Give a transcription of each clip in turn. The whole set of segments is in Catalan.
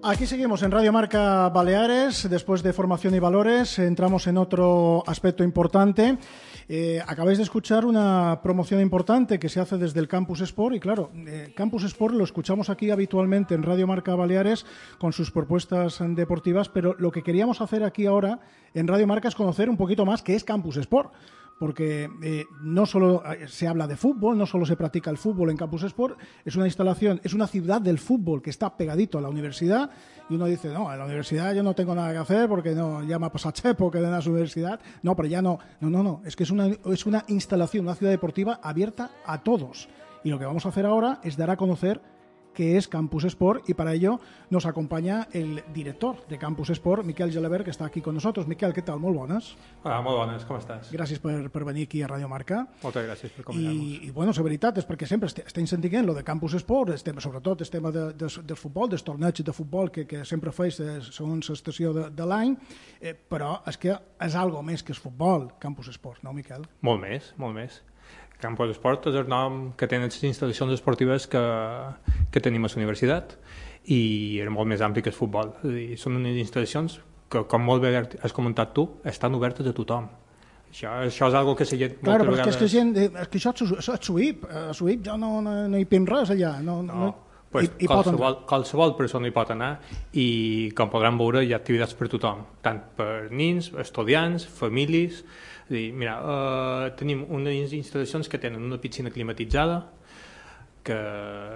Aquí seguimos en Radio Marca Baleares. Después de formación y valores, entramos en otro aspecto importante. Acabáis de escuchar una promoción importante que se hace desde el Campus Sport y claro, Campus Sport lo escuchamos aquí habitualmente en Radio Marca Baleares con sus propuestas deportivas, pero lo que queríamos hacer aquí ahora en Radio Marca es conocer un poquito más qué es Campus Sport. Porque no solo se habla de fútbol, no solo se practica el fútbol en Campus Sport, es una instalación, es una ciudad del fútbol que está pegadito a la universidad y uno dice, no, en la universidad yo no tengo nada que hacer porque no, ya me ha pasado chepo que de la universidad, no, pero ya no, es que es una instalación, una ciudad deportiva abierta a todos y lo que vamos a hacer ahora es dar a conocer que es Campus Sport y para ello nos acompaña el director de Campus Sport, Miquel Gelabert, que està aquí con nosotros. Miquel, què tal? Molt bones. Hola, molt bones, com estàs? Gràcies per venir aquí a Radio Marca. Moltes gràcies per convidar-nos. I bueno, la veritat és perquè sempre estem sentint lo de Campus Sport, sobretot el tema del futbol, dels torneigs de futbol que sempre feis segons l'estació de l'any, però és que és algo més que el futbol, Campus Sport, no, Miquel? Molt més, molt més. Campus Sport és el nom que tenen les instal·lacions esportives que tenim a la universitat i és molt més ampli que el futbol. És a dir, són unes instal·lacions que, com molt bé has comentat tu, estan obertes a tothom. Això és algo que la gent... Claro, però és que gent... És que això és SUIP. A SUIP jo no hi pinc res allà. No. Pues qualsevol persona hi pot anar i, com podran veure, hi ha activitats per tothom, tant per nens, estudiants, famílies. És a dir, mira, tenim unes instal·lacions que tenen una piscina climatitzada, que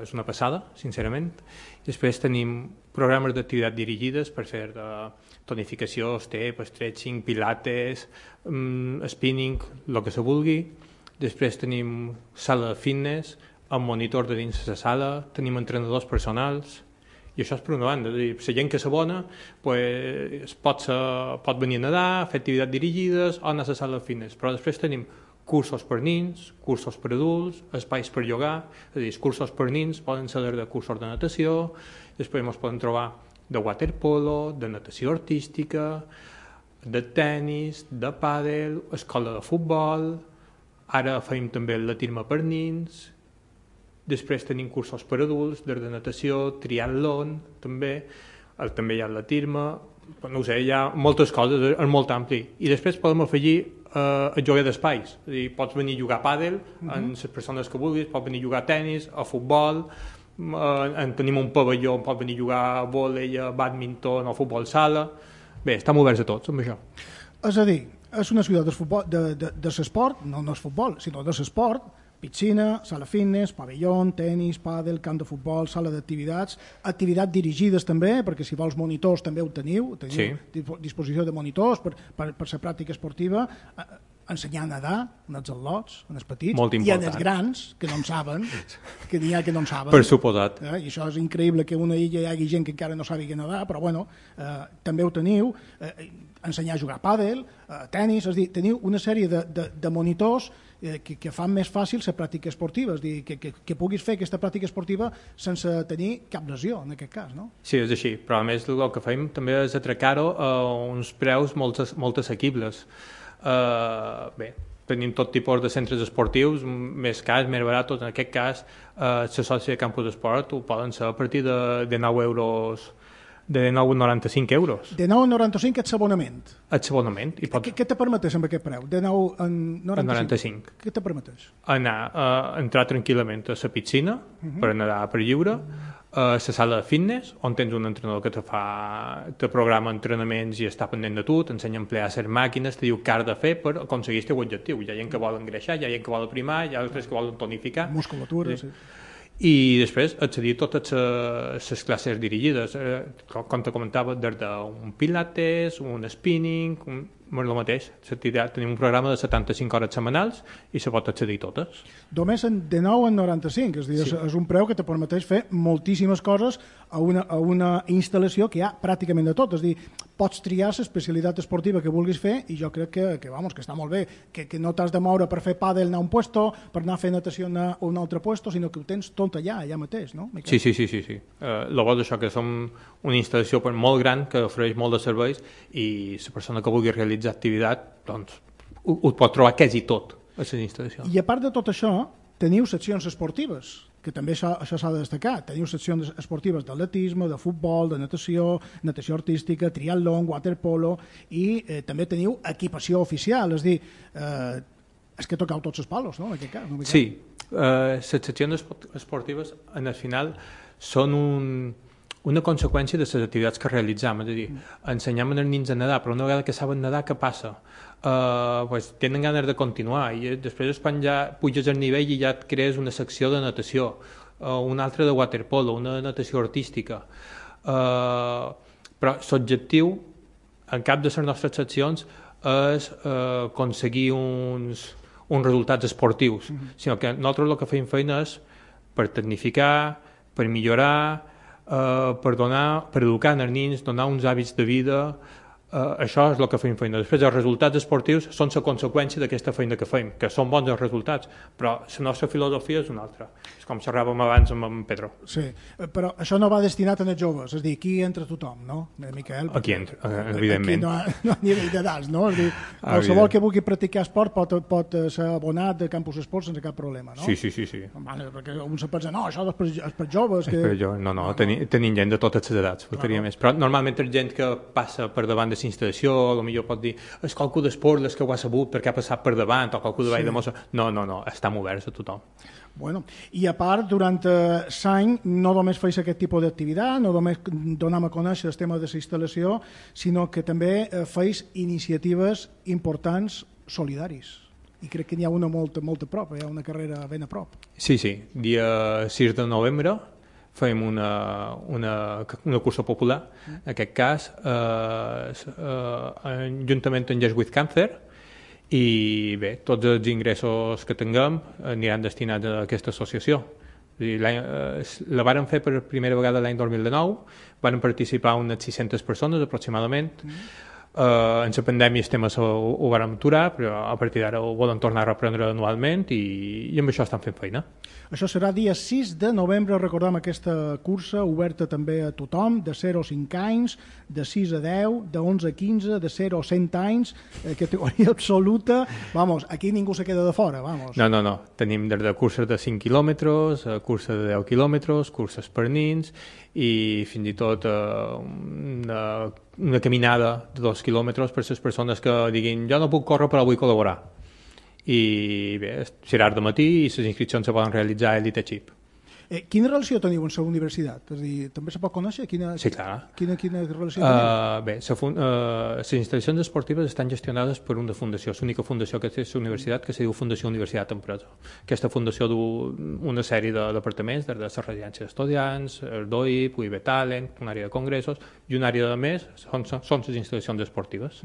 és una passada, sincerament. Després tenim programes d'activitat dirigides per fer tonificació, step, stretching, pilates, spinning, el que se vulgui. Després tenim sala de fitness, amb monitor de dins la sala, tenim entrenadors personals, i això és per una banda. La gent que s'abona pot venir a nedar, fer activitats dirigides o anar a la sala de fitness, però després tenim cursos per nens, cursos per adults, espais per llogar, és a dir, els cursos per nens poden ser de cursos de natació, després ens poden trobar de waterpolo, de natació artística, de tennis, de pàdel, escola de futbol, ara fem també l'atletisme per nens. Després tenim cursos per adults, de natació, triatlon, també hi ha atletisme, no ho sé, hi ha moltes coses, és molt ampli. I després podem afegir el joc d'espais, és a dir, pots venir a jugar a pàdel amb les persones que vulguis, pots venir a jugar a tennis, a futbol, tenim un pavelló on pots venir a jugar a vòlei, a bàdminton o a futbol sala. Bé, estem oberts a tots amb això. És a dir, és una ciutat de l'esport, no és futbol, sinó de l'esport, piscina, sala fitness, pavelló, tennis, pàdel, camp de futbol, sala d'activitats, activitats dirigides també, perquè si vols monitors també ho teniu disposició de monitors per la pràctica esportiva, ensenyar a nedar en els al·lots, en els petits, i en els grans, que no en saben, que n'hi ha que no en saben. Per suposat. I això és increïble que a una illa hi hagi gent que encara no sàpiga nedar, però bueno, també ho teniu, ensenyar a jugar a pàdel, tennis, és a dir, teniu una sèrie de monitors que fan més fàcil la pràctica esportiva, és a dir, que puguis fer aquesta pràctica esportiva sense tenir cap lesió, en aquest cas, no? Sí, és així, però a més el que fem també és atracar-ho a uns preus molt assequibles. Bé, tenim tot tipus de centres esportius, més cars, més baratos. En aquest cas, la sòcia de Campus Esport ho poden ser a partir de 9 euros, de 9,95 euros. De 9,95 ets abonament. Ets abonament. Què te permetés amb aquest preu? De 9,95. Què te permetés? Entrar tranquil·lament a la piscina per nedar per lliure, a la sala de fitness, on tens un entrenador que te programa entrenaments i està pendent de tu, t'ensenya a emplear les màquines, te diu què has de fer per aconseguir el teu objectiu. Hi ha gent que vol engreixar, hi ha gent que vol aprimar, hi ha altres que volen tonificar. Musculatura, sí. I després accedir a totes les classes dirigides, com te comentava, des d'un pilates, un spinning, el mateix. Tenim un programa de 75 hores setmanals i se pot accedir a totes. Només de 9,95, és a dir, és un preu que te permeteix fer moltíssimes coses a una instal·lació que hi ha pràcticament de tot, és a dir, pots triar l'especialitat esportiva que vulguis fer i jo crec que està molt bé, que no t'has de moure per fer pàdel anar a un puesto, per anar a fer natació anar a un altre puesto, sinó que ho tens tot allà mateix, no? Sí. El bo és això, que som una instal·lació molt gran que ofereix molt de serveis i la persona que vulgui realitzar activitat doncs ho pot trobar quasi tot a les instal·lacions. I a part de tot això, teniu seccions esportives. que també això s'ha de destacar. Teniu seccions esportives d'atletisme, de futbol, de natació, natació artística, triatlon, waterpolo, i també teniu equipació oficial, és a dir, és que toqueu tots els palos, no?, en aquest cas. Sí, les seccions esportives, en el final, són una conseqüència de les activitats que realitzem, és a dir, ensenyem als nens a nedar, però una vegada que saben nedar, què passa? Pues, tenen ganes de continuar, i després és quan ja puges al nivell i ja et crees una secció de natació, una altra de waterpolo, una de natació artística, però l'objectiu, en cap de les nostres seccions, és aconseguir uns resultats esportius, sinó que nosaltres el que fem feina és per tecnificar, per millorar, per educar els nens, donar uns hàbits de vida, això és el que fem feina. Després els resultats esportius són la conseqüència d'aquesta feina que fem, que són bons els resultats, però la nostra filosofia és una altra. És com xerràvem abans amb en Pedro. Sí, però això no va destinat a els joves, és a dir, aquí entra tothom, no, Miquel? Aquí entra, evidentment. Aquí no a nivell d'edats, no? És a dir, qualsevol que vulgui practicar esport pot ser abonat de Campus Esport sense cap problema, no? Sí. Vale, perquè un se pensa, no, això és per joves. No, tenim gent de totes les edats, faltaria més. Però normalment és gent que passa per davant de instal·lació, potser pot dir, és qualcú d'esport que ho ha sabut perquè ha passat per davant, o qualcú de Vall de Mossa. No, estan oberts a tothom. Bueno, i a part, durant l'any no només feis aquest tipus d'activitat, no només donem a conèixer el tema de la instal·lació, sinó que també feis iniciatives importants solidaris. I crec que n'hi ha una molt a prop, hi ha una carrera ben a prop. Sí, dia 6 de novembre fem una cursa popular, en aquest cas, juntament amb Yes with Cancer, i bé, tots els ingressos que tinguem aniran destinats a aquesta associació. La vàrem fer per primera vegada l'any 2019, van participar unes 600 persones aproximadament. En la pandèmia el tema ho vàrem aturar, però a partir d'ara ho volen tornar a reprendre anualment i amb això estan fent feina. Això serà dia 6 de novembre, recordem aquesta cursa oberta també a tothom, de 0 a 5 anys, de 6 a 10, de 11 a 15, de 0 a 100 anys, categoria absoluta. Vamos, aquí ningú se queda de fora, vamos. No. Tenim des de curses de 5 quilòmetres, curses de 10 quilòmetres, curses per nins i fins i tot una caminada de 2 quilòmetres per a les persones que diguin jo no puc córrer però vull col·laborar. I bé, serà de matí i les inscripcions se poden realitzar a Elite Chip. Quina relació teniu amb la universitat? És a dir, també se pot conèixer? Sí, clar. Quina relació teniu? Bé, les instal·lacions esportives estan gestionades per una fundació, l'única fundació que té la universitat, que se diu Fundació Universitat Empresa. Aquesta fundació du una sèrie de departaments, des de la residència d'estudiants, el DOIP, UIB Talent, una àrea de congressos, i una àrea de més són les instal·lacions esportives.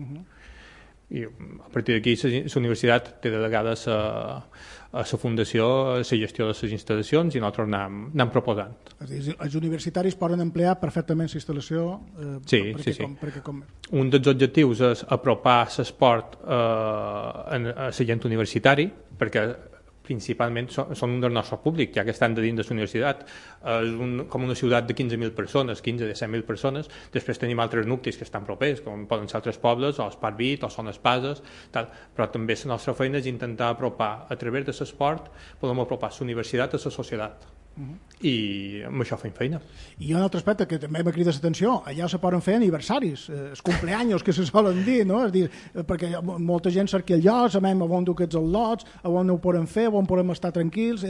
I a partir d'aquí la universitat té delegades a la fundació la gestió de les instal·lacions i nosaltres anem proposant. És a dir, els universitaris poden emplear perfectament la instal·lació sí. Un dels objectius és apropar l'esport a la gent universitari, perquè principalment són un del nostre públic, ja que estan de dins de la universitat. És com una ciutat de 15.000 persones, 15-17.000 persones. Després tenim altres nuclis que estan propers, com poden ser altres pobles, o Esparvit, o Son Espases, tal. Però també la nostra feina és intentar apropar, a través de l'esport, podem apropar la universitat a la societat. I amb això fem feina. I hi ha un altre aspecte que també m'ha cridat l'atenció, allà se poden fer aniversaris, els cumpleaños que se solen dir, no? És dir, perquè molta gent cerca el lloc, sabem on dur aquests al·lots, on ho podem fer, on podem estar tranquils,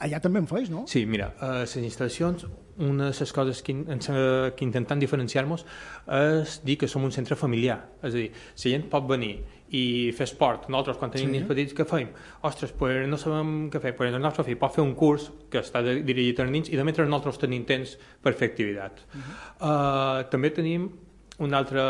allà també en feis, no? Sí, mira, les instal·lacions, una de les coses que intentem diferenciar-nos és dir que som un centre familiar, és a dir, la gent pot venir i fer esport. Nosaltres, quan tenim nens petits, què fem? Ostres, pues no sabem què fer. Pues el nostre fill pot fer un curs que està dirigit als nens i de mentre nosaltres tenim temps per fer activitat. També tenim una altra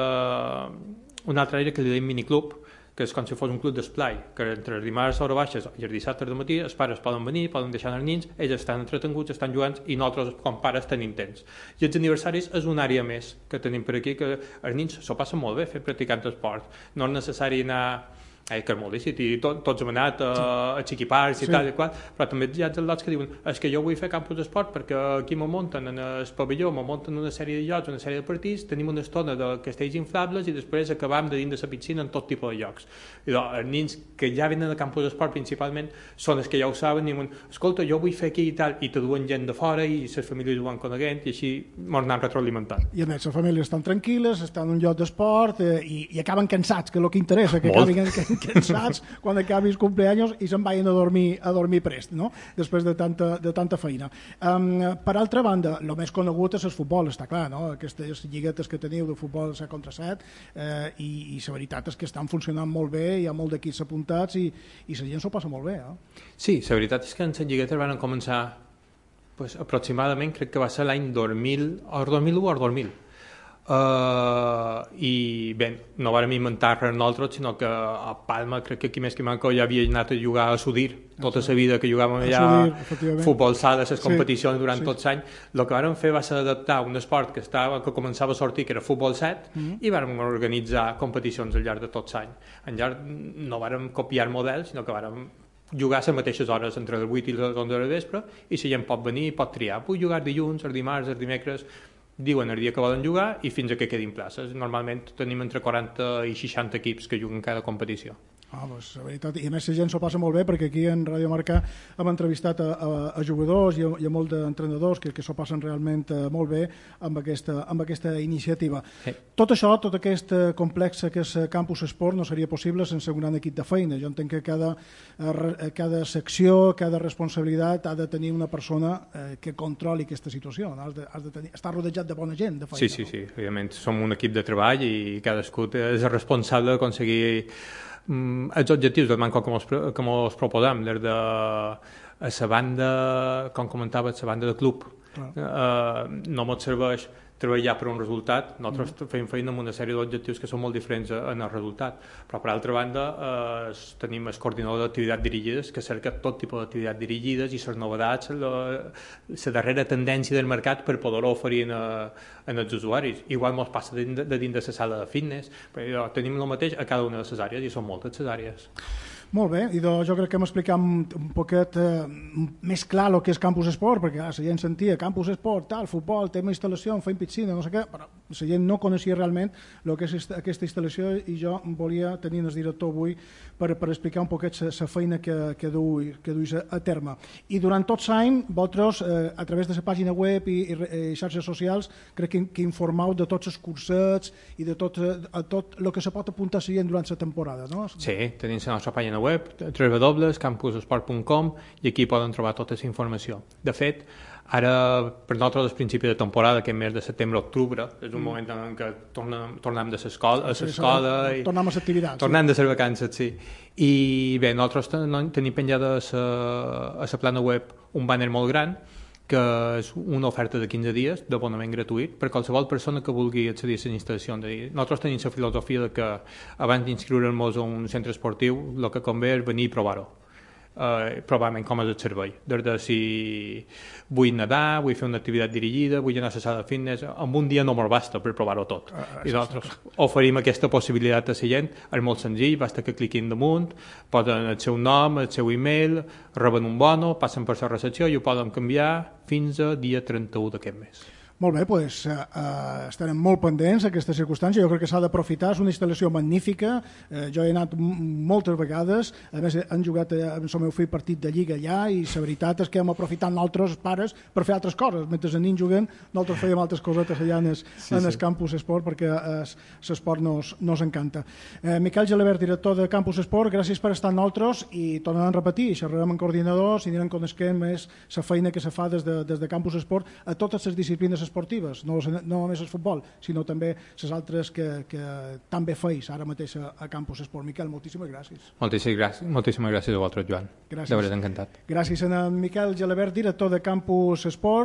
àrea que li diem miniclub, que és com si fos un club d'esplai, que entre els dimarts a hora baixes i els dissabtes de matí els pares poden venir, poden deixar els nens, ells estan entretenguts, estan jugant i nosaltres com pares tenim temps. I els aniversaris és una àrea més que tenim per aquí, que els nens s'ho passen molt bé practicant esport. No és necessari anar que és molt lícit, i tots hem anat a Chiquipars i tal i qual, però també hi ha els lots que diuen és que jo vull fer campus d'esport perquè aquí me munten en el pavelló, me munten una sèrie de llocs, una sèrie de partits, tenim una estona de castells inflables i després acabam de dins de la piscina en tot tipus de llocs. I doncs, els nens que ja venen de campus d'esport principalment són els que ja ho saben i diuen, escolta, jo vull fer aquí i tal, i te duen gent de fora i les famílies ho van coneguent i així ens anem retroalimentant. I a més, les famílies estan tranquil·les, estan en un lloc d'esport i acaben cansats, que és el que interessa, que acabin cansats quan acabi el cumpleaños i se'n vagin a dormir prest, no? Després de tanta feina. Per altra banda, el més conegut és el futbol, està clar, no? Aquestes lliguetes que teniu de futbol 7 contra 7 i la veritat és que estan funcionant molt bé, hi ha molt d'equips apuntats i la gent s'ho passa molt bé. Sí, la veritat és que en les lliguetes van començar aproximadament, crec que va ser l'any 2000, o 2001 o 2000. I bé, no vàrem inventar res nosaltres, sinó que a Palma crec que aquí més que manco ja havia anat a jugar a Sudir tota la vida que jugàvem allà futbol sala, les competicions durant tots els anys. El que vàrem fer va ser adaptar un esport que començava a sortir, que era futbol 7, i vàrem organitzar competicions al llarg de tots els anys. En llarg no vàrem copiar models, sinó que vàrem jugar a les mateixes hores entre les 8 i les 11 de vespre, i la gent pot venir i pot triar, vull jugar dilluns, els dimarts, els dimecres, diuen el dia que volen jugar i fins a que quedin places. Normalment tenim entre 40 i 60 equips que juguen cada competició. Doncs, la veritat, i a més la gent s'ho passa molt bé perquè aquí en Radio Marca hem entrevistat a jugadors i a molts d'entrenadors que s'ho passen realment molt bé amb aquesta iniciativa. Sí. Tot això, tot aquest complex que és Campus Esport no seria possible sense un gran equip de feina. Jo entenc que cada secció, cada responsabilitat ha de tenir una persona que controli aquesta situació, no? Has de estar rodejat de bona gent de feina. Sí, evidentment som un equip de treball i cadascú és responsable d'aconseguir els objectius del manco que mos proposem des de la banda, com comentava, la banda de club. No mos serveix treballar per un resultat, nosaltres fem feina amb una sèrie d'objectius que són molt diferents en el resultat, però per altra banda tenim el coordinador d'activitats dirigides que cerca tot tipus d'activitats dirigides i les novetats, la darrera tendència del mercat per poder-ho oferir als usuaris. Igual ens passa de dins de la sala de fitness, però tenim el mateix a cada una de les àrees i són moltes les àrees. Molt bé, i jo crec que hem explicat un poquet més clar el que és Campus Esport, perquè la gent sentia Campus Esport, tal, futbol, tema instal·lació, fem piscina, no sé què, però la gent no coneixia realment el que és aquesta instal·lació i jo volia tenir el director avui per explicar un poquet la feina que duis a terme. I durant tot l'any, vosaltres, a través de la pàgina web i xarxes socials, crec que informeu de tots els cursets i de tot el que se pot apuntar a la gent durant la temporada, no? Sí, tenim la nostra pàgina web, www.campusesport.com, i aquí poden trobar tota la informació. De fet, ara, per nosaltres, al principi de temporada, aquest mes de setembre-octubre, és un moment en què tornem de l'escola i tornem a l'activitat. Tornem de les vacances, sí. I bé, nosaltres tenim penjada a la plana web un banner molt gran que és una oferta de 15 dies d'abonament gratuït per qualsevol persona que vulgui accedir a les instal·lacions. Nosaltres tenim la filosofia de que abans d'inscriure'ns a un centre esportiu el que convé és venir i provar-ho. Probablement com és el servei. Des de si vull nedar, vull fer una activitat dirigida, vull anar a la sala de fitness, en un dia no me'l basta per provar-ho tot. I nosaltres oferim aquesta possibilitat a la gent, és molt senzill, basta que cliquin damunt, posen el seu nom, el seu email, reben un bono, passen per la recepció i ho poden canviar fins a dia 31 d'aquest mes. Molt bé, doncs estarem molt pendents d'aquesta circumstància. Jo crec que s'ha d'aprofitar, és una instal·lació magnífica, jo he anat moltes vegades, a més hem jugat amb el meu fill partit de lliga allà i la veritat és que hem aprofitat nosaltres pares per fer altres coses, mentre els nens juguen nosaltres fèiem altres cosetes allà en el Campus Esport perquè l'esport nos encanta. Miquel Gelabert, director de Campus Esport, gràcies per estar amb nosaltres i tornarem a repetir, xerrarem amb coordinadors i anirem coneixent més la feina que se fa des de Campus Esport a totes les disciplines esportives, no només el futbol, sinó també les altres que també feis ara mateix a Campus Esport. Miquel, moltíssimes gràcies. Moltíssimes gràcies a vosaltres, Joan. Gràcies. De veritat, encantat. Gràcies a Miquel Gelabert, director de Campus Esport.